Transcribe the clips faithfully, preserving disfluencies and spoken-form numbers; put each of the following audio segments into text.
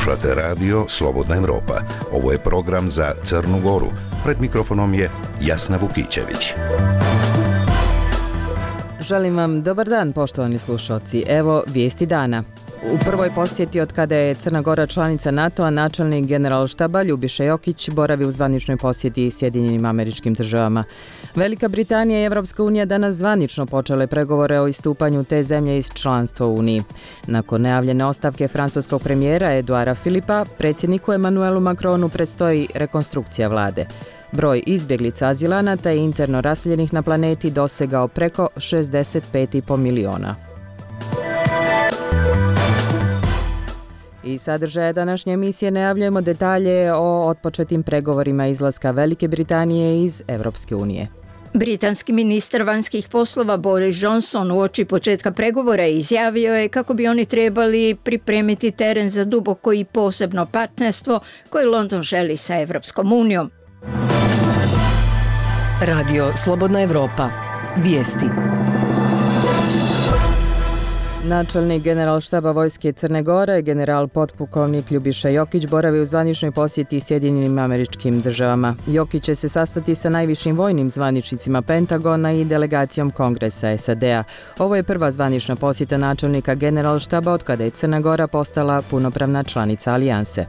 Slušate radio Slobodna Evropa. Ovo je program za Crnu Goru. Pred mikrofonom je Jasna Vukićević. Želim vam dobar dan, poštovani slušalci. Evo vijesti dana. U prvoj posjeti od kada je Crna Gora članica NATO-a, načelnik Generalštaba Ljubiša Jokić boravi u zvaničnoj posjeti Sjedinjenim Američkim Državama. Velika Britanija i Evropska unija danas zvanično počele pregovore o istupanju te zemlje iz članstva u Uniji. Nakon najavljene ostavke francuskog premijera Eduara Philippa, predsjedniku Emmanuelu Macronu predstoji rekonstrukcija vlade. Broj izbjeglica azilanata i interno raseljenih na planeti dosegao preko šezdeset pet i po miliona. I sadržaja današnje emisije najavljujemo detalje o otpočetim pregovorima izlaska Velike Britanije iz Evropske unije. Britanski ministar vanjskih poslova Boris Johnson uoči početka pregovora izjavio je kako bi oni trebali pripremiti teren za duboko i posebno partnerstvo koje London želi sa Evropskom unijom. Radio Slobodna Evropa. Vijesti. Načelnik Generalštaba vojske Crne Gore, general potpukovnik Ljubiša Jokić, boravi u zvaničnoj posjeti Sjedinjenim Američkim Državama. Jokić će se sastati sa najvišim vojnim zvaničnicima Pentagona i delegacijom Kongresa S A D-a. Ovo je prva zvanična posjeta načelnika Generalštaba od kada je Crna Gora postala punopravna članica alijanse.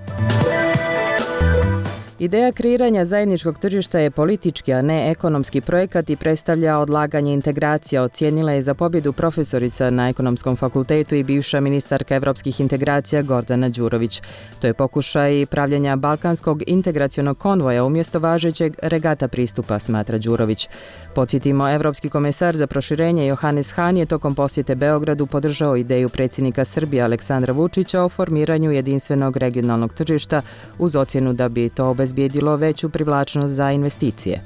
Ideja kreiranja zajedničkog tržišta je politički, a ne ekonomski projekat i predstavlja odlaganje integracija, ocijenila je za pobjedu profesorica na Ekonomskom fakultetu i bivša ministarka evropskih integracija Gordana Đurović. To je pokušaj pravljenja balkanskog integracionog konvoja umjesto važećeg regata pristupa, smatra Đurović. Podsjetimo, evropski komesar za proširenje Johannes Hahn je tokom posjete Beogradu podržao ideju predsjednika Srbije Aleksandra Vučića o formiranju jedinstvenog regionalnog tržišta uz ocjenu da bi to obezbijedilo veću privlačnost za investicije.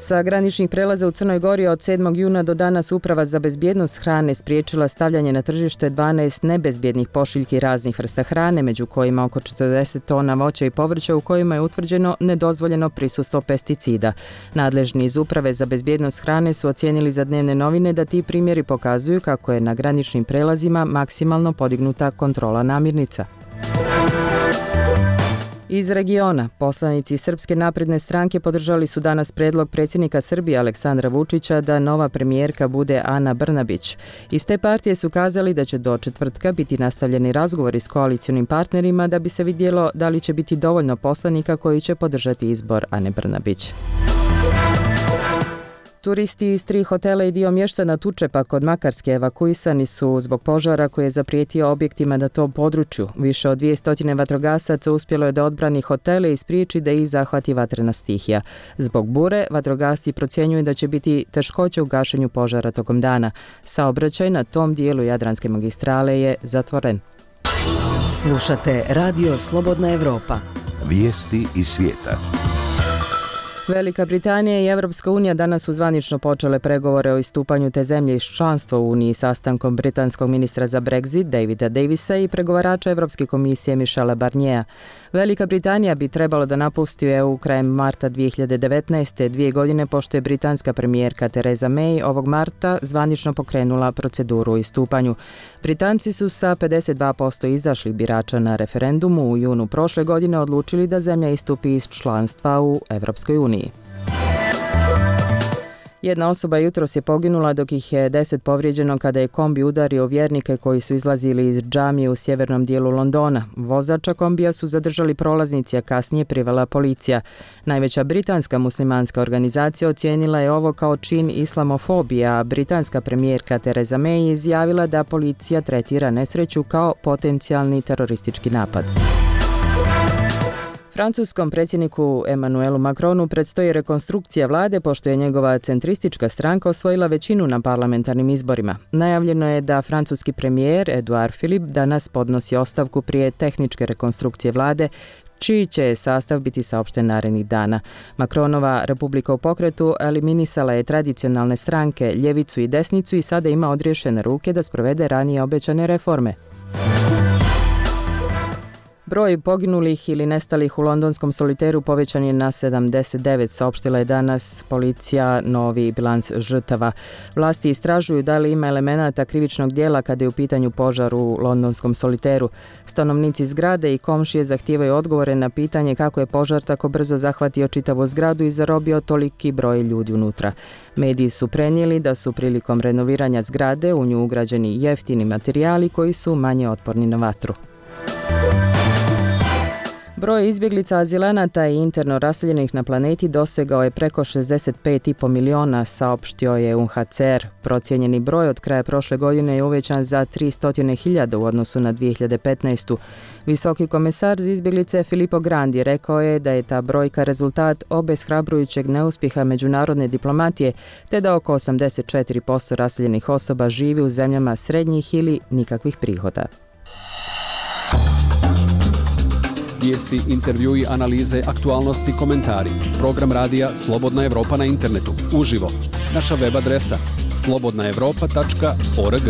Sa graničnih prelaza u Crnoj Gori od sedmog juna do danas Uprava za bezbjednost hrane spriječila stavljanje na tržište dvanaest nebezbjednih pošiljki raznih vrsta hrane, među kojima oko četrdeset tona voća i povrća u kojima je utvrđeno nedozvoljeno prisustvo pesticida. Nadležni iz Uprave za bezbjednost hrane su ocijenili za Dnevne novine da ti primjeri pokazuju kako je na graničnim prelazima maksimalno podignuta kontrola namirnica. Iz regiona, poslanici Srpske napredne stranke podržali su danas predlog predsjednika Srbije Aleksandra Vučića da nova premijerka bude Ana Brnabić. Iz te partije su kazali da će do četvrtka biti nastavljeni razgovori s koalicionim partnerima da bi se vidjelo da li će biti dovoljno poslanika koji će podržati izbor Ane Brnabić. Turisti iz tri hotela i dio mještana Tučepa kod Makarske evakuisani su zbog požara koji je zaprijetio objektima na tom području. Više od dvjesto vatrogasaca uspjelo je da odbrani hotele i spriječi da ih zahvati vatrena stihija. Zbog bure, vatrogasci procjenjuju da će biti teškoće u gašenju požara tokom dana. Saobraćaj na tom dijelu Jadranske magistrale je zatvoren. Slušate Radio Slobodna Evropa. Vijesti iz svijeta. Velika Britanija i Evropska unija danas su zvanično počele pregovore o istupanju te zemlje iz članstva u Uniji sastankom britanskog ministra za Brexit Davida Davisa i pregovarača Evropske komisije Michela Barniera. Velika Britanija bi trebalo da napusti E U krajem marta dvije hiljade devetnaeste, dvije godine pošto je britanska premijerka Theresa May ovog marta zvanično pokrenula proceduru o istupanju. Britanci su sa pedeset dva posto izašlih birača na referendumu u junu prošle godine odlučili da zemlja istupi iz članstva u Evropskoj uniji. Jedna osoba jutros je poginula dok ih je deset povrijeđeno kada je kombi udario vjernike koji su izlazili iz džamije u sjevernom dijelu Londona. Vozača kombija su zadržali prolaznici, a kasnije privela policija. Najveća britanska muslimanska organizacija ocijenila je ovo kao čin islamofobije, a britanska premijerka Theresa May je izjavila da policija tretira nesreću kao potencijalni teroristički napad. Francuskom predsjedniku Emmanuelu Macronu predstoji rekonstrukcija vlade pošto je njegova centristička stranka osvojila većinu na parlamentarnim izborima. Najavljeno je da francuski premijer Eduard Philippe danas podnosi ostavku prije tehničke rekonstrukcije vlade, čiji će sastav biti saopšten narednih dana. Macronova Republika u pokretu eliminisala je tradicionalne stranke, ljevicu i desnicu i sada ima odriješene ruke da sprovede ranije obećane reforme. Broj poginulih ili nestalih u londonskom soliteru povećan je na sedamdeset devet, saopštila je danas policija novi bilans žrtava. Vlasti istražuju da li ima elemenata krivičnog dijela kada je u pitanju požar u londonskom soliteru. Stanovnici zgrade i komšije zahtijevaju odgovore na pitanje kako je požar tako brzo zahvatio čitavu zgradu i zarobio toliki broj ljudi unutra. Mediji su prenijeli da su prilikom renoviranja zgrade u nju ugrađeni jeftini materijali koji su manje otporni na vatru. Broj izbjeglica, azilanata i interno raseljenih na planeti dosegao je preko šezdeset pet i po miliona, saopštio je U N H C R. Procijenjeni broj od kraja prošle godine je uvećan za tristo hiljada u odnosu na dvije hiljade petnaestu. Visoki komesar za izbjeglice Filippo Grandi rekao je da je ta brojka rezultat obeshrabrujućeg neuspjeha međunarodne diplomatije, te da oko osamdeset četiri posto raseljenih osoba živi u zemljama srednjih ili nikakvih prihoda. Vijesti, intervjui, analize, aktualnosti, komentari. Program radija Slobodna Evropa na internetu. Uživo. Naša web adresa slobodna evropa tačka org.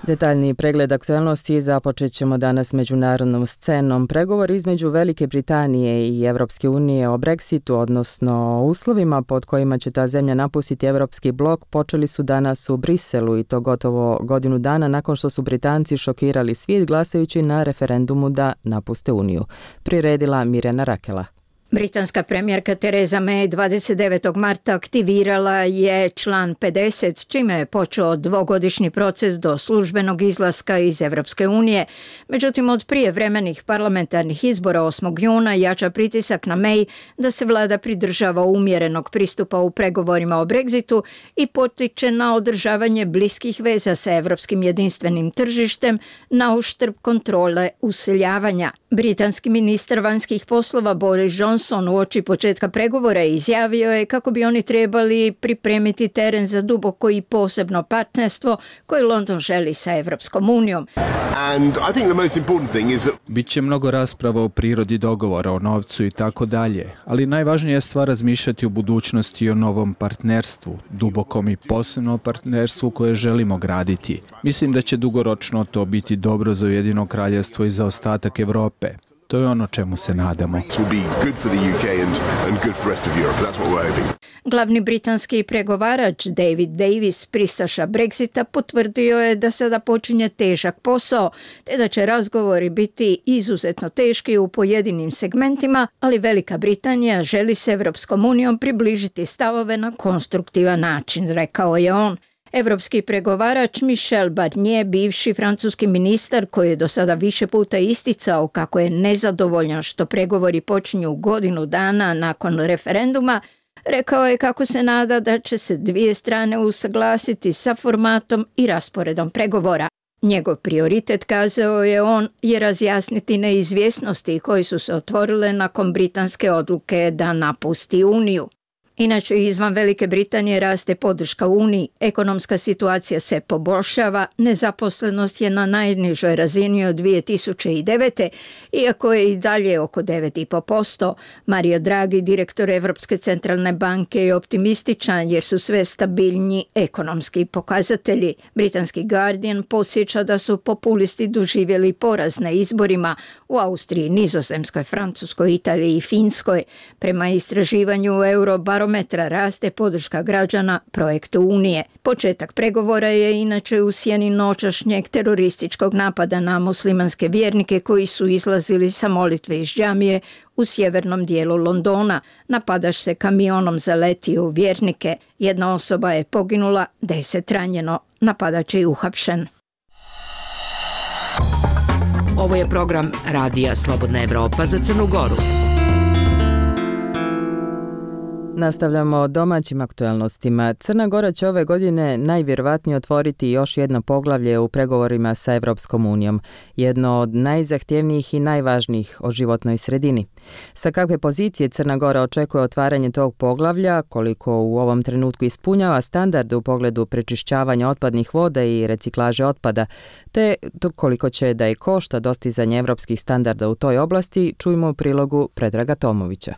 Detaljniji pregled aktualnosti započet ćemo danas međunarodnom scenom. Pregovor između Velike Britanije i Evropske unije o Brexitu, odnosno uslovima pod kojima će ta zemlja napustiti Evropski blok, počeli su danas u Briselu i to gotovo godinu dana nakon što su Britanci šokirali svijet glasajući na referendumu da napuste Uniju. Priredila Mirjana Rakela. Britanska premijerka Theresa May dvadeset devetog marta aktivirala je član pedeset, čime je počeo dvogodišnji proces do službenog izlaska iz Evropske unije. Međutim, od prijevremenih parlamentarnih izbora osmog juna jača pritisak na May da se vlada pridržava umjerenog pristupa u pregovorima o Brexitu i potiče na održavanje bliskih veza sa evropskim jedinstvenim tržištem na uštrb kontrole useljavanja. Britanski ministar vanjskih poslova Boris Johnson uoči početka pregovora izjavio je kako bi oni trebali pripremiti teren za duboko i posebno partnerstvo koje London želi sa Evropskom unijom. Biće mnogo rasprava o prirodi dogovora, o novcu i tako dalje, ali najvažnija je stvar razmišljati o budućnosti i o novom partnerstvu, dubokom i posebnom partnerstvu koje želimo graditi. Mislim da će dugoročno to biti dobro za Ujedinjeno kraljevstvo i za ostatak Evrope. To je ono čemu se nadamo. Glavni britanski pregovarač David Davis, pristaša Brexita, potvrdio je da sada počinje težak posao, te da će razgovori biti izuzetno teški u pojedinim segmentima, ali Velika Britanija želi se Evropskom unijom približiti stavove na konstruktivan način, rekao je on. Evropski pregovarač Michel Barnier, bivši francuski ministar koji je do sada više puta isticao kako je nezadovoljan što pregovori počinju godinu dana nakon referenduma, rekao je kako se nada da će se dvije strane usaglasiti sa formatom i rasporedom pregovora. Njegov prioritet, kazao je on, je razjasniti neizvjesnosti koje su se otvorile nakon britanske odluke da napusti Uniju. Inače, izvan Velike Britanije raste podrška Uniji, ekonomska situacija se poboljšava, nezaposlenost je na najnižoj razini od dvije tisuće devete, iako je i dalje oko devet zarez pet posto. Mario Draghi, direktor Evropske centralne banke, je optimističan jer su sve stabilnji ekonomski pokazatelji. Britanski Guardian podsjeća da su populisti doživjeli poraz na izborima u Austriji, Nizozemskoj, Francuskoj, Italiji i Finskoj. Prema istraživanju Eurobarometra metra raste podrška građana projektu Unije. Početak pregovora je inače u sjeni noćašnjeg terorističkog napada na muslimanske vjernike koji su izlazili sa molitve iz džamije u sjevernom dijelu Londona. Napadač se kamionom zaletio u vjernike. Jedna osoba je poginula, deset ranjeno. Napadač je uhapšen. Ovo je program Radija Slobodna Evropa za Crnu Goru. Nastavljamo domaćim aktualnostima. Crna Gora će ove godine najvjerojatnije otvoriti još jedno poglavlje u pregovorima sa Evropskom unijom, jedno od najzahtjevnijih i najvažnijih o životnoj sredini. Sa kakve pozicije Crna Gora očekuje otvaranje tog poglavlja, koliko u ovom trenutku ispunjava standarde u pogledu prečišćavanja otpadnih voda i reciklaže otpada, te koliko će da je košta dostizanje evropskih standarda u toj oblasti, čujmo u prilogu Predraga Tomovića.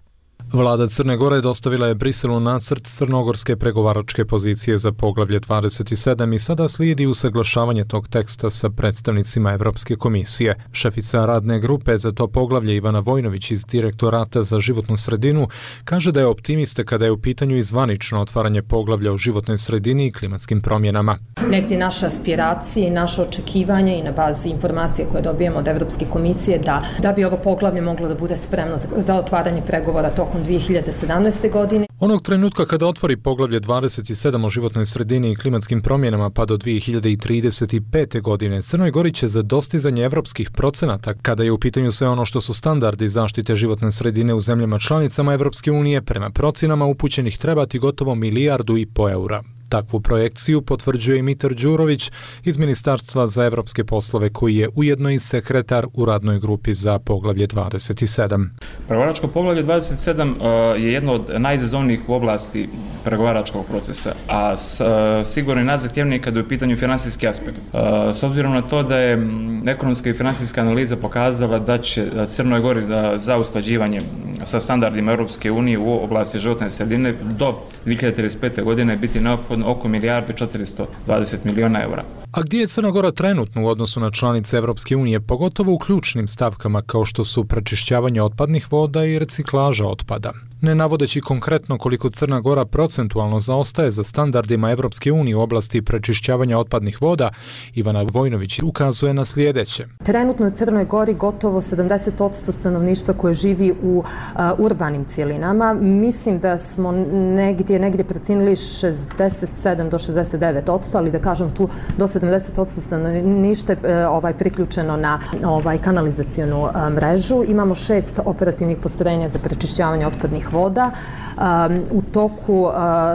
Vlada Crne Gore dostavila je Briselu nacrt crnogorske pregovaračke pozicije za poglavlje dvadeset sedam i sada slijedi usaglašavanje tog teksta sa predstavnicima Evropske komisije. Šefica radne grupe za to poglavlje Ivana Vojnović iz Direktorata za životnu sredinu kaže da je optimista kada je u pitanju i zvanično otvaranje poglavlja o životnoj sredini i klimatskim promjenama. Negdje naše aspiracije i naše očekivanje i na bazi informacije koje dobijemo od Evropske komisije da, da bi ovo poglavlje moglo da bude spremno za otvaranje pregovora tokom dvije hiljade sedamnaeste. godine. Onog trenutka kada otvori poglavlje dvadeset sedam o životnoj sredini i klimatskim promjenama pa do dvije hiljade trideset pete. godine, Crnoj Gori će za dostizanje evropskih procenata, kada je u pitanju sve ono što su standardi zaštite životne sredine u zemljama članicama Evropske unije, prema procjenama upućenih trebati gotovo milijardu i po eura. Takvu projekciju potvrđuje i Mitar Đurović iz Ministarstva za evropske poslove, koji je ujedno i sekretar u radnoj grupi za poglavlje dvadeset sedam. Pregovaračko poglavlje dvadeset sedam je jedno od najizazovnijih u oblasti pregovaračkog procesa, a sigurno i najzahtjevnije kada je u pitanju finansijski aspekt. S obzirom na to da je ekonomska i finansijska analiza pokazala da će Crnoj Gori za usklađivanje sa standardima Europske unije u oblasti životne sredine do dvije hiljade trideset pete. godine biti neophodno oko milijardu četiristo dvadeset miliona eura. A gdje je Crna Gora trenutno u odnosu na članice Evropske unije, pogotovo u ključnim stavkama kao što su prečišćavanje otpadnih voda i reciklaža otpada? Ne navodeći konkretno koliko Crna Gora procentualno zaostaje za standardima Evropske unije u oblasti prečišćavanja otpadnih voda, Ivana Vojnović ukazuje na sljedeće. Trenutno u Crnoj Gori gotovo sedamdeset posto stanovništva koje živi u uh, urbanim cjelinama. Mislim da smo negdje, negdje procenili šezdeset sedam do šezdeset devet posto, ali da kažem tu do sedamdeset posto stanovništva uh, ovaj, priključeno na ovaj, kanalizacionu uh, mrežu. Imamo šest operativnih postrojenja za prečišćavanje otpadnih voda. Um, u toku uh,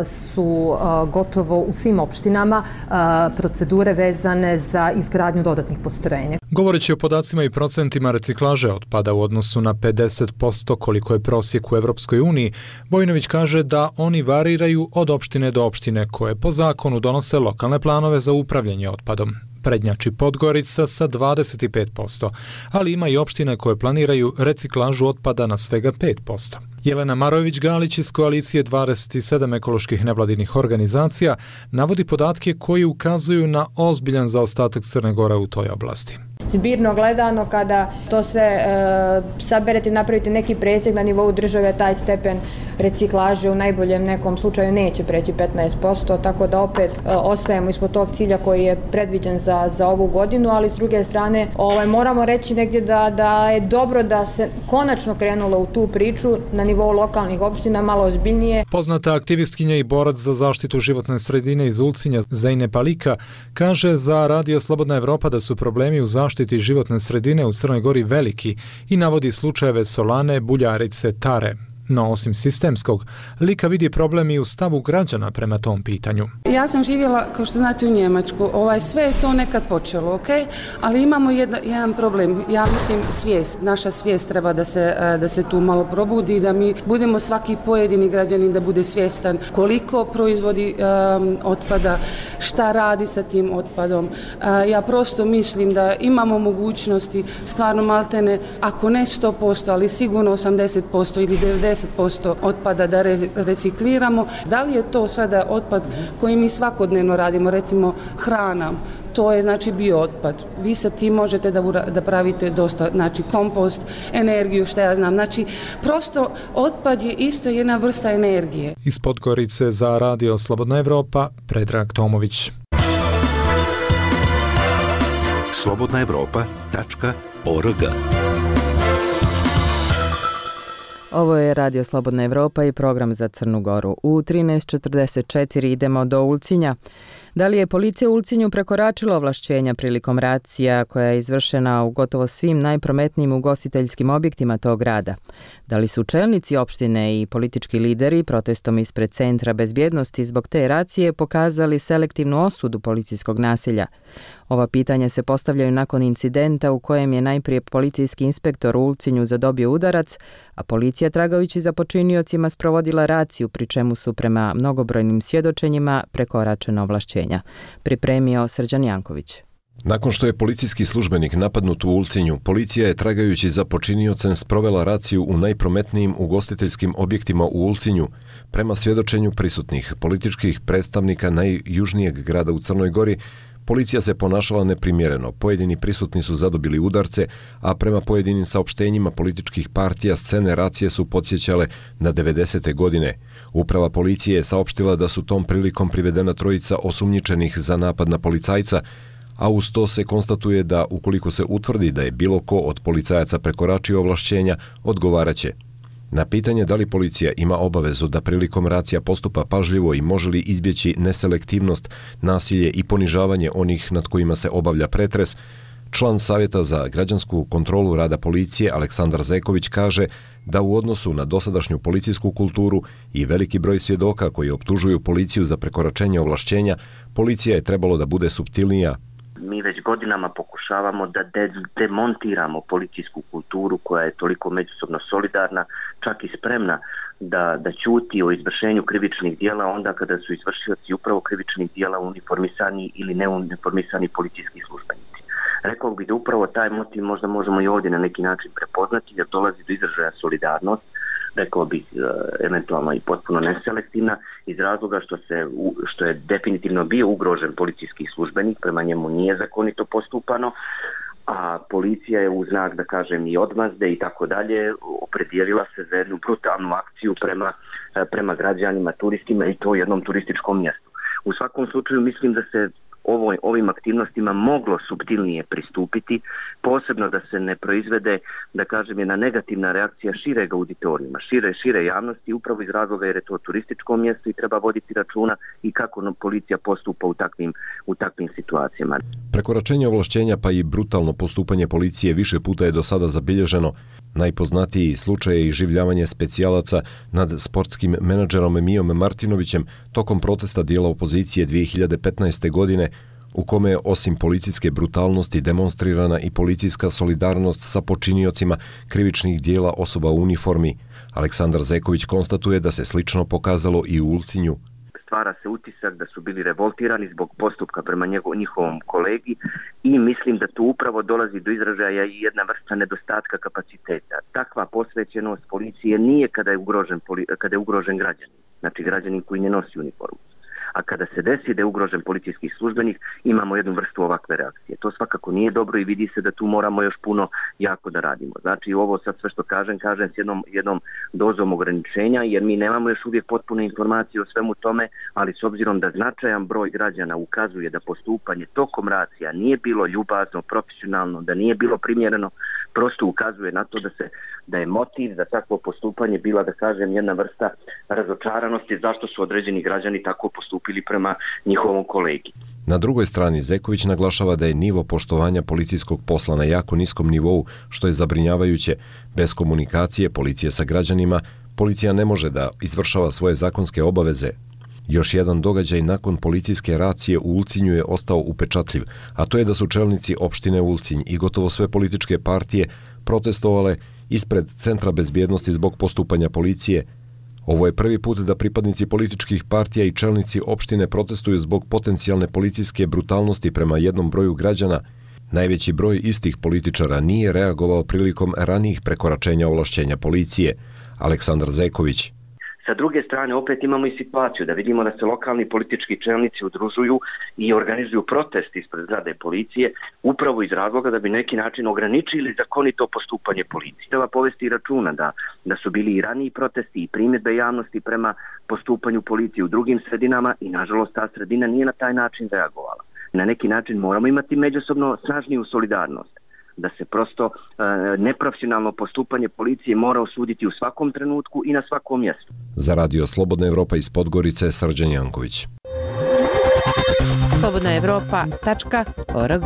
su uh, gotovo u svim opštinama uh, procedure vezane za izgradnju dodatnih postrojenja. Govoreći o podacima i procentima reciklaže otpada u odnosu na pedeset posto koliko je prosjek u Evropskoj uniji, Vojnović kaže da oni variraju od opštine do opštine koje po zakonu donose lokalne planove za upravljanje otpadom. Prednjači Podgorica sa dvadeset pet posto, ali ima i opštine koje planiraju reciklažu otpada na svega pet posto. Jelena Marojević-Galić iz koalicije dvadeset sedam ekoloških nevladinih organizacija navodi podatke koji ukazuju na ozbiljan zaostatak Crne Gore u toj oblasti. Zbirno gledano, kada to sve e, saberete i napravite neki presjek na nivou države, taj stepen reciklaže u najboljem nekom slučaju neće preći petnaest posto, tako da opet e, ostajemo ispod tog cilja koji je predviđen za, za ovu godinu, ali s druge strane ovaj, moramo reći negdje da, da je dobro da se konačno krenulo u tu priču na nivou lokalnih opština malo ozbiljnije. Poznata aktivistkinja i borac za zaštitu životne sredine iz Ulcinja, Zejne Palika, kaže za Radio Slobodna Evropa da su problemi u zaštiti životne sredine u Crnoj Gori veliki i navodi slučajeve Solane, Buljarice, Tare. No, osim sistemskog, Lika vidi problem i u stavu građana prema tom pitanju. Ja sam živjela, kao što znate, u Njemačku. Ovaj, sve je to nekad počelo, ok? Ali imamo jedna, jedan problem. Ja mislim svijest. Naša svijest treba da se, da se tu malo probudi, da mi budemo svaki pojedini građanin da bude svjestan koliko proizvodi um, otpada, šta radi sa tim otpadom. Uh, ja prosto mislim da imamo mogućnosti, stvarno maltene, ako ne sto posto, ali sigurno osamdeset posto ili devedeset posto otpada da re, recikliramo. Da li je to sada otpad koji mi svakodnevno radimo, recimo hrana, to je znači biootpad. Vi sa tim možete da, da pravite dosta, znači kompost, energiju, što ja znam. Znači, prosto otpad je isto jedna vrsta energije. Iz Podgorice za Radio Slobodna Evropa, Predrag Tomović. slobodna evropa tačka org. Ovo je Radio Slobodna Evropa i program za Crnu Goru. U trinaest četrdeset četiri idemo do Ulcinja. Da li je policija u Ulcinju prekoračila ovlašćenja prilikom racija koja je izvršena u gotovo svim najprometnijim ugostiteljskim objektima tog grada? Da li su čelnici opštine i politički lideri protestom ispred Centra bezbjednosti zbog te racije pokazali selektivnu osudu policijskog nasilja? Ova pitanja se postavljaju nakon incidenta u kojem je najprije policijski inspektor u Ulcinju zadobio udarac, a policija tragajući za počiniocima sprovodila raciju, pri čemu su prema mnogobrojnim svjedočenjima prekoračena ovlašćenja. Pripremio Srđan Janković. Nakon što je policijski službenik napadnut u Ulcinju, policija je tragajući za počiniocem sprovela raciju u najprometnijim ugostiteljskim objektima u Ulcinju. Prema svjedočenju prisutnih političkih predstavnika najjužnijeg grada u Crnoj Gori, policija se ponašala neprimjereno, pojedini prisutni su zadobili udarce, a prema pojedinim saopštenjima političkih partija scene racije su podsjećale na devedesete godine. Uprava policije je saopštila da su tom prilikom privedena trojica osumnjičenih za napad na policajca, a uz to se konstatuje da ukoliko se utvrdi da je bilo ko od policajaca prekoračio ovlašćenja, odgovaraće. Na pitanje da li policija ima obavezu da prilikom racija postupa pažljivo i može li izbjeći neselektivnost, nasilje i ponižavanje onih nad kojima se obavlja pretres, član Savjeta za građansku kontrolu rada policije Aleksandar Zeković kaže da u odnosu na dosadašnju policijsku kulturu i veliki broj svjedoka koji optužuju policiju za prekoračenje ovlašćenja, policija je trebalo da bude suptilnija. Mi već godinama pokušavamo da de- demontiramo policijsku kulturu koja je toliko međusobno solidarna, čak i spremna da, da ćuti o izvršenju krivičnih dijela onda kada su izvršioci upravo krivičnih dijela uniformisani ili neuniformisani policijski službenici. Rekao bih da upravo taj motiv možda možemo i ovdje na neki način prepoznati, jer dolazi do izražaja solidarnost, rekao bih eventualno i potpuno neselektivna, iz razloga što, se, što je definitivno bio ugrožen policijski službenik, prema njemu nije zakonito postupano, a policija je u znak, da kažem, i odmazde i tako dalje opredijelila se za jednu brutalnu akciju prema, prema građanima, turistima i to u jednom turističkom mjestu. U svakom slučaju mislim da se Ovo, ovim aktivnostima moglo suptilnije pristupiti, posebno da se ne proizvede, da kažem, jedna negativna reakcija šireg auditorijuma, šire, šire javnosti, upravo iz razloga jer je to turističko mjesto i treba voditi računa i kako no, policija postupa u takvim, u takvim situacijama. Prekoračenje ovlašćenja pa i brutalno postupanje policije više puta je do sada zabilježeno. Najpoznatiji slučaj je iživljavanje specijalaca nad sportskim menadžerom Mijom Martinovićem tokom protesta dijela opozicije dvije hiljade petnaeste. godine, u kome je osim policijske brutalnosti demonstrirana i policijska solidarnost sa počiniocima krivičnih dijela osoba u uniformi. Aleksandar Zeković konstatuje da se slično pokazalo i u Ulcinju. Stvara se utisak da su bili revoltirani zbog postupka prema njegov, njihovom kolegi i mislim da tu upravo dolazi do izražaja i jedna vrsta nedostatka kapaciteta. Takva posvećenost policije nije kada je ugrožen, kada je ugrožen građanin, znači građanin koji ne nosi uniformu. A kada se desi da je ugrožen policijski službenik, imamo jednu vrstu ovakve reakcije. To svakako nije dobro i vidi se da tu moramo još puno jako da radimo. Znači ovo sad sve što kažem, kažem s jednom, jednom dozom ograničenja, jer mi nemamo još uvijek potpune informacije o svemu tome, ali s obzirom da značajan broj građana ukazuje da postupanje tokom racija nije bilo ljubazno, profesionalno, da nije bilo primjereno, prosto ukazuje na to da se da je motiv za takvo postupanje bila, da kažem, jedna vrsta razočaranosti zašto su određeni građani tako postupili prema njihovom kolegi. Na drugoj strani Zeković naglašava da je nivo poštovanja policijskog posla na jako niskom nivou, što je zabrinjavajuće. Bez komunikacije policije sa građanima, policija ne može da izvršava svoje zakonske obaveze. Još jedan događaj nakon policijske racije u Ulcinju je ostao upečatljiv, a to je da su čelnici opštine Ulcinj i gotovo sve političke partije protestovale ispred Centra bezbjednosti zbog postupanja policije. Ovo je prvi put da pripadnici političkih partija i čelnici opštine protestuju zbog potencijalne policijske brutalnosti prema jednom broju građana. Najveći broj istih političara nije reagovao prilikom ranijih prekoračenja ovlašćenja policije. Aleksandar Zeković. Sa druge strane, opet imamo i situaciju da vidimo da se lokalni politički čelnici udružuju i organizuju protest ispred zgrade policije upravo iz razloga da bi neki način ograničili zakonito postupanje policije. Treba povesti računa da, da su bili i raniji protesti i primjedbe javnosti prema postupanju policije u drugim sredinama i nažalost ta sredina nije na taj način reagovala. Na neki način moramo imati međusobno snažniju solidarnost, da se prosto e, neprofesionalno postupanje policije mora osuditi u svakom trenutku i na svakom mjestu. Za Radio Slobodna Evropa iz Podgorice, Srđan Janković. slobodna evropa tačka org.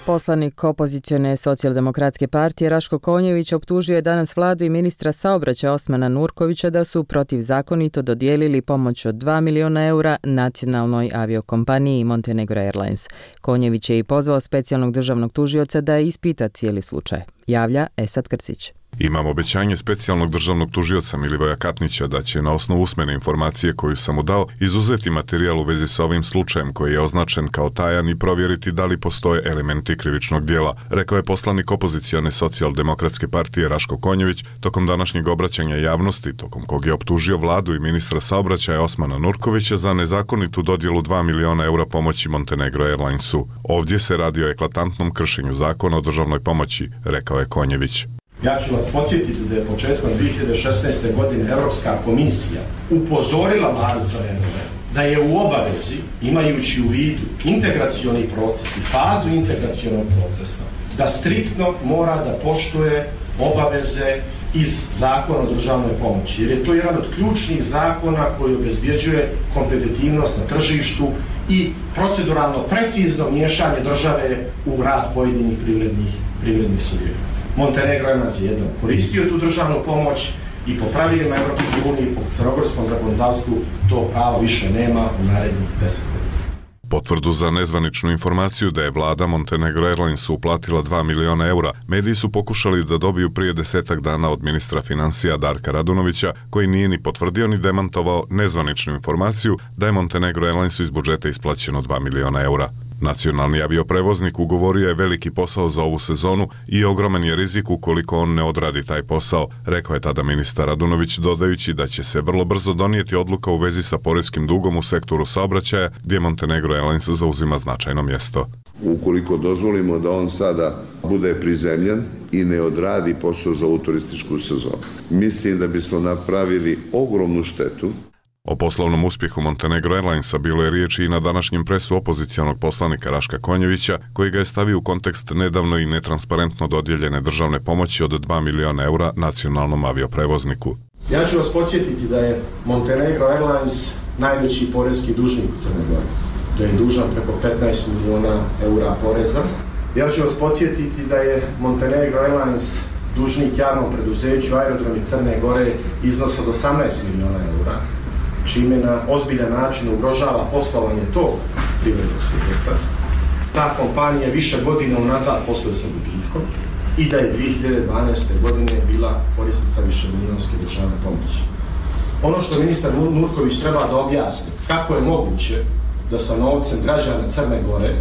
Poslanik opozicione socijaldemokratske partije Raško Konjević optužio je danas vladu i ministra saobraćaja Osmana Nurkovića da su protivzakonito dodijelili pomoć od dva miliona eura nacionalnoj aviokompaniji Montenegro Airlines. Konjević je i pozvao specijalnog državnog tužioca da ispita cijeli slučaj. Javlja Esad Krcić. Imam obećanje specijalnog državnog tužioca Milivoja Katnića da će na osnovu usmene informacije koju sam mu dao izuzeti materijal u vezi sa ovim slučajem koji je označen kao tajan i provjeriti da li postoje elementi krivičnog dijela, rekao je poslanik opozicione socijaldemokratske partije Raško Konjević tokom današnjeg obraćanja javnosti, tokom kog je optužio vladu i ministra saobraćaja Osmana Nurkovića za nezakonitu dodjelu dva miliona eura pomoći Montenegro Airlinesu. Ovdje se radi o eklatantnom kršenju zakona o državnoj pomoći, rekao je Konjević. Ja ću vas podsjetiti da je početkom dvije hiljade šesnaeste. godine Europska komisija upozorila vladu Crne Gore da je u obavezi, imajući u vidu integracioni proces i fazu integracionog procesa, da striktno mora da poštuje obaveze iz Zakona o državnoj pomoći, jer je to jedan od ključnih zakona koji obezbjeđuje kompetitivnost na tržištu i proceduralno precizno miješanje države u rad pojedinih privrednih, privrednih subjekata. Montenegro Airlines je jednom koristio tu državnu pomoć i po pravilima Europske unije, po crnogorskom zakonodavstvu to pravo više nema u narednih deset godina. Potvrdu za nezvaničnu informaciju da je vlada Montenegro Airlinesu uplatila dva miliona eura, mediji su pokušali da dobiju prije desetak dana od ministra financija Darka Radunovića, koji nije ni potvrdio ni demantovao nezvaničnu informaciju da je Montenegro Airlinesu iz budžeta isplaćeno dva miliona eura. Nacionalni avioprevoznik ugovorio je veliki posao za ovu sezonu i ogroman je rizik ukoliko on ne odradi taj posao, rekao je tada ministar Radunović, dodajući da će se vrlo brzo donijeti odluka u vezi sa poreskim dugom u sektoru saobraćaja, gdje Montenegro Airlines zauzima značajno mjesto. Ukoliko dozvolimo da on sada bude prizemljen i ne odradi posao za ovu turističku sezonu, mislim da bismo napravili ogromnu štetu. O poslovnom uspjehu Montenegro Airlinesa bilo je riječi i na današnjem presu opozicijonog poslanika Raška Konjevića, koji ga je stavio u kontekst nedavno i netransparentno dodijeljene državne pomoći od dva miliona eura nacionalnom avioprevozniku. Ja ću vas podsjetiti da je Montenegro Airlines najveći poreski dužnik u Crnoj Gori, da je dužan preko petnaest miliona eura poreza. Ja ću vas podsjetiti da je Montenegro Airlines dužnik javnom preduzeću Aerodromi Crne Gore iznos od osamnaest miliona eura, čime na ozbiljan način ugrožava poslovanje tog privrednog subjekta. Ta kompanija više godina unazad posluje sa gubitkom i da je dvije hiljade dvanaeste. godine bila korisnica višemilijonske državne pomoći. Ono što ministar Nurković treba da objasni, kako je moguće da sa novcem građana Crne Gore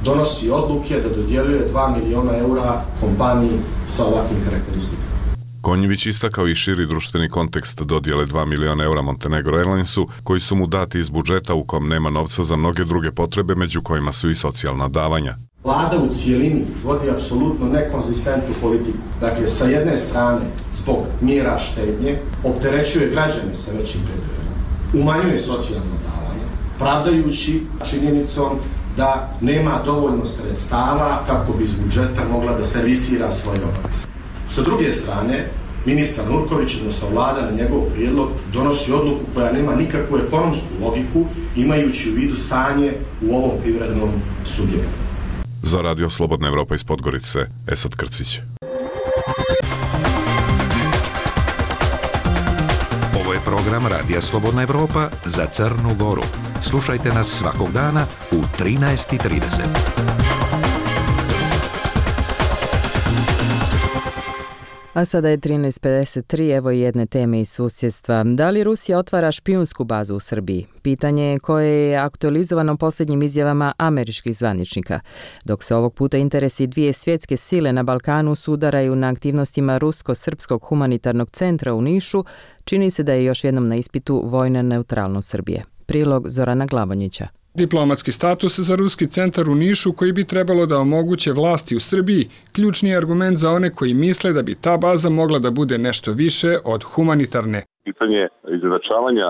donosi odluke da dodjeljuje dva miliona eura kompaniji sa ovakvim karakteristikama. Konjević istakao i širi društveni kontekst dodjele dva miliona eura Montenegro Airlinesu, koji su mu dati iz budžeta u kom nema novca za mnoge druge potrebe, među kojima su i socijalna davanja. Vlada u cijelini vodi apsolutno nekonzistentnu politiku. Dakle, sa jedne strane, zbog mjera štednje, opterećuje građane sa većim P D V-om, umanjuje socijalna davanja, pravdajući činjenicom da nema dovoljno sredstava kako bi iz budžeta mogla da servisira svoje obaveze. Sa druge strane, ministar Nurković, odnosno vlada na njegov prijedlog, donosi odluku koja nema nikakvu ekonomsku logiku, imajući u vidu stanje u ovom privrednom subjektu. Za Radio Slobodna Evropa iz Podgorice, Esad Krcić. Ovo je program Radija Slobodna Evropa za Crnu Goru. Slušajte nas svakog dana u trinaest i trideset. A sada je trinaest pedeset tri, evo i jedne teme iz susjedstva. Da li Rusija otvara špijunsku bazu u Srbiji? Pitanje je koje je aktualizovano posljednjim izjavama američkih zvaničnika. Dok se ovog puta interesi dvije svjetske sile na Balkanu sudaraju na aktivnostima Rusko-Srpskog humanitarnog centra u Nišu, čini se da je još jednom na ispitu vojna neutralnost Srbije. Prilog Zorana Glavonjića. Diplomatski status za Ruski centar u Nišu, koji bi trebalo da omoguće vlasti u Srbiji, ključni je argument za one koji misle da bi ta baza mogla da bude nešto više od humanitarne. Pitanje izjednačavanja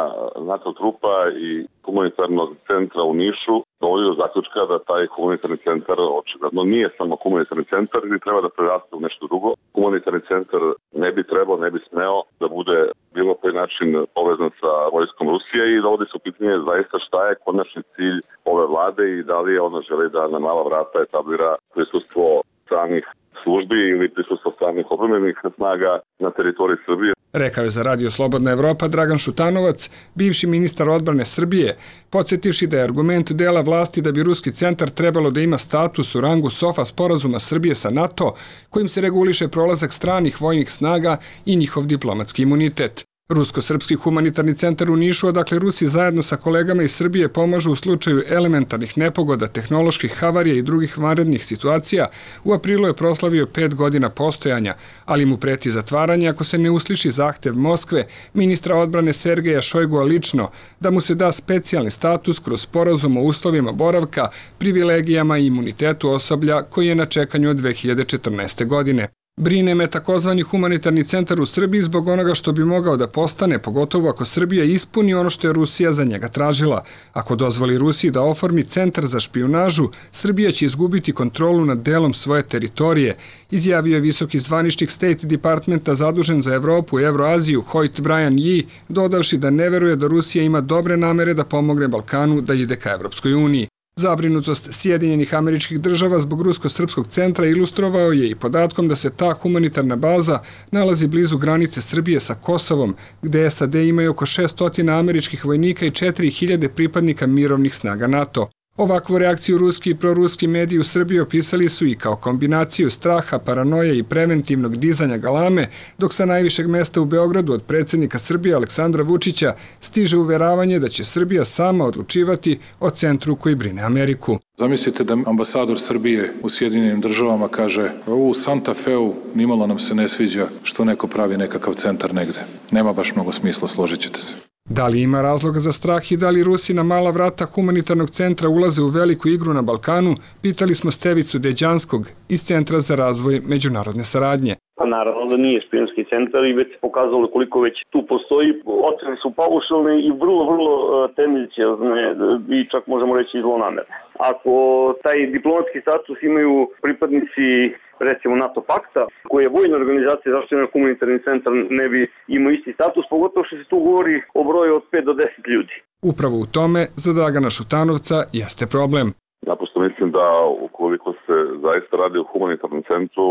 NATO trupa i humanitarnog centra u Nišu dovodi do zaključka da taj humanitarni centar očigledno nije samo humanitarni centar ili treba da preraste u nešto drugo. Humanitarni centar ne bi trebao, ne bi smeo da bude bilo koji način povezan sa vojskom Rusije i dovodi se u pitanje zaista šta je konačni cilj ove vlade i da li ona želi da na mala vrata etablira prisustvo stranih službi ili prisustvo stranih obrambenih snaga na teritoriji Srbije. Rekao je za Radio Slobodna Evropa Dragan Šutanovac, bivši ministar odbrane Srbije, podsjetivši da je argument dela vlasti da bi ruski centar trebalo da ima status u rangu SOFA sporazuma Srbije sa NATO, kojim se reguliše prolazak stranih vojnih snaga i njihov diplomatski imunitet. Rusko-srpski humanitarni centar u Nišu, odakle Rusi zajedno sa kolegama iz Srbije pomažu u slučaju elementarnih nepogoda, tehnoloških havarija i drugih vanrednih situacija, u aprilu je proslavio pet godina postojanja, ali mu preti zatvaranje ako se ne usliši zahtev Moskve, ministra odbrane Sergeja Šojgua lično, da mu se da specijalni status kroz sporazum o uslovima boravka, privilegijama i imunitetu osoblja koji je na čekanju od dve hiljade četrnaeste. godine. Brine me takozvani humanitarni centar u Srbiji zbog onoga što bi mogao da postane, pogotovo ako Srbija ispuni ono što je Rusija za njega tražila. Ako dozvoli Rusiji da oformi centar za špijunažu, Srbija će izgubiti kontrolu nad delom svoje teritorije, izjavio je visoki zvaničnik State Departmenta zadužen za Evropu i Evroaziju Hoyt Brian Yee, dodavši da ne veruje da Rusija ima dobre namere da pomogne Balkanu da ide ka Evropskoj uniji. Zabrinutost Sjedinjenih Američkih Država zbog rusko-srpskog centra ilustrovao je i podatkom da se ta humanitarna baza nalazi blizu granice Srbije sa Kosovom, gde S A D imaju oko šesto američkih vojnika i četiri hiljade pripadnika mirovnih snaga NATO. Ovakvu reakciju ruski i proruski mediji u Srbiji opisali su i kao kombinaciju straha, paranoje i preventivnog dizanja galame, dok sa najvišeg mesta u Beogradu od predsjednika Srbije Aleksandra Vučića stiže uveravanje da će Srbija sama odlučivati o centru koji brine Ameriku. Zamislite da ambasador Srbije u Sjedinjenim Državama kaže u Santa Feu nimalo nam se ne sviđa što neko pravi nekakav centar negde. Nema baš mnogo smisla, složit ćete se. Da li ima razloga za strah i da li Rusi na mala vrata humanitarnog centra ulaze u veliku igru na Balkanu, pitali smo Stevicu Deđanskog iz Centra za razvoj međunarodne saradnje. Pa naravno da nije špijunski centar i već se pokazalo koliko već tu postoji. Ocene su paušalne i vrlo, vrlo tendenciozne i čak možemo reći i zlonamerne. Ako taj diplomatski status imaju pripadnici recimo NATO pakta, koji je vojna organizacija zašto je humanitarni centar ne bi imao isti status, pogotovo što se tu govori o broju od pet do deset ljudi. Upravo u tome za Dragana Šutanovca jeste problem. Naprosto mislim da ukoliko se zaista radi o humanitarnom centru,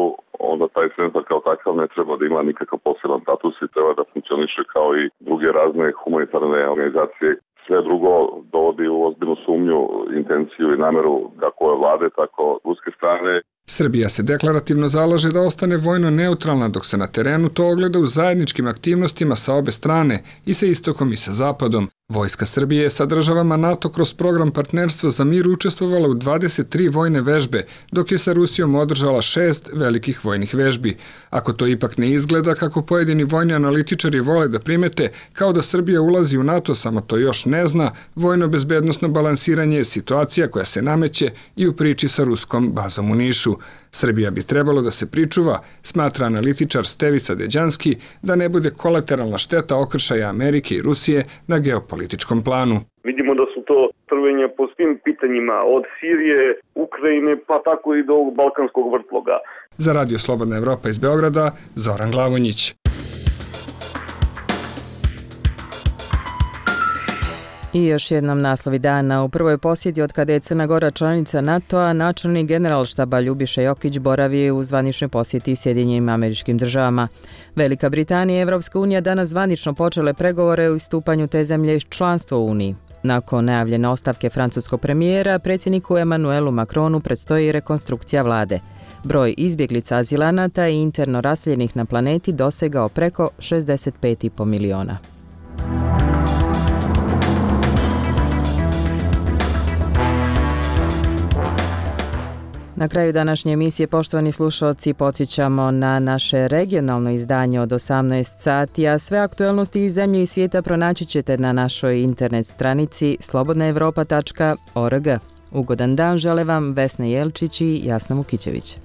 onda taj centar kao takav ne treba da ima nikakav poseban status i treba da funkcioniše kao i druge razne humanitarne organizacije. Sve drugo dovodi u ozbiljnu sumnju, intenciju i nameru kako ove vlade, tako ruske strane. Srbija se deklarativno zalaže da ostane vojno neutralna, dok se na terenu to ogleda u zajedničkim aktivnostima sa obe strane, i sa istokom i sa zapadom. Vojska Srbije je sa državama NATO kroz program Partnerstvo za mir učestvovala u dvadeset tri vojne vežbe, dok je sa Rusijom održala šest velikih vojnih vežbi. Ako to ipak ne izgleda kako pojedini vojni analitičari vole da primete, kao da Srbija ulazi u NATO, samo to još ne zna, vojno-bezbednosno balansiranje je situacija koja se nameće i u priči sa ruskom bazom u Nišu. Srbija bi trebalo da se pričuva, smatra analitičar Stevica Deđanski, da ne bude kolateralna šteta okršaja Amerike i Rusije na geopolitičkom planu. Vidimo da su to trvenja po svim pitanjima, od Sirije, Ukrajine, pa tako i do ovog balkanskog vrtloga. Za Radio Slobodna Evropa iz Beograda, Zoran Glavonjić. I još jednom naslovi dana. U prvoj posjeti od kada je Crna Gora članica NATO-a, načelnik generalštaba Ljubiša Jokić boravi u zvaničnoj posjeti Sjedinjenim Američkim Državama. Velika Britanija i Evropska unija danas zvanično počele pregovore o istupanju te zemlje iz članstva u Uniji. Nakon najavljene ostavke francuskog premijera, predsjedniku Emmanuelu Macronu predstoji rekonstrukcija vlade. Broj izbjeglica azilanata i interno raseljenih na planeti dosegao preko šezdeset pet i po miliona. Na kraju današnje emisije, poštovani slušalci, podsjećamo na naše regionalno izdanje od osamnaest sati, a sve aktualnosti iz zemlje i svijeta pronaći ćete na našoj internet stranici slobodna evropa tačka org. Ugodan dan žele vam Vesna Jelčić i Jasna Vukićević.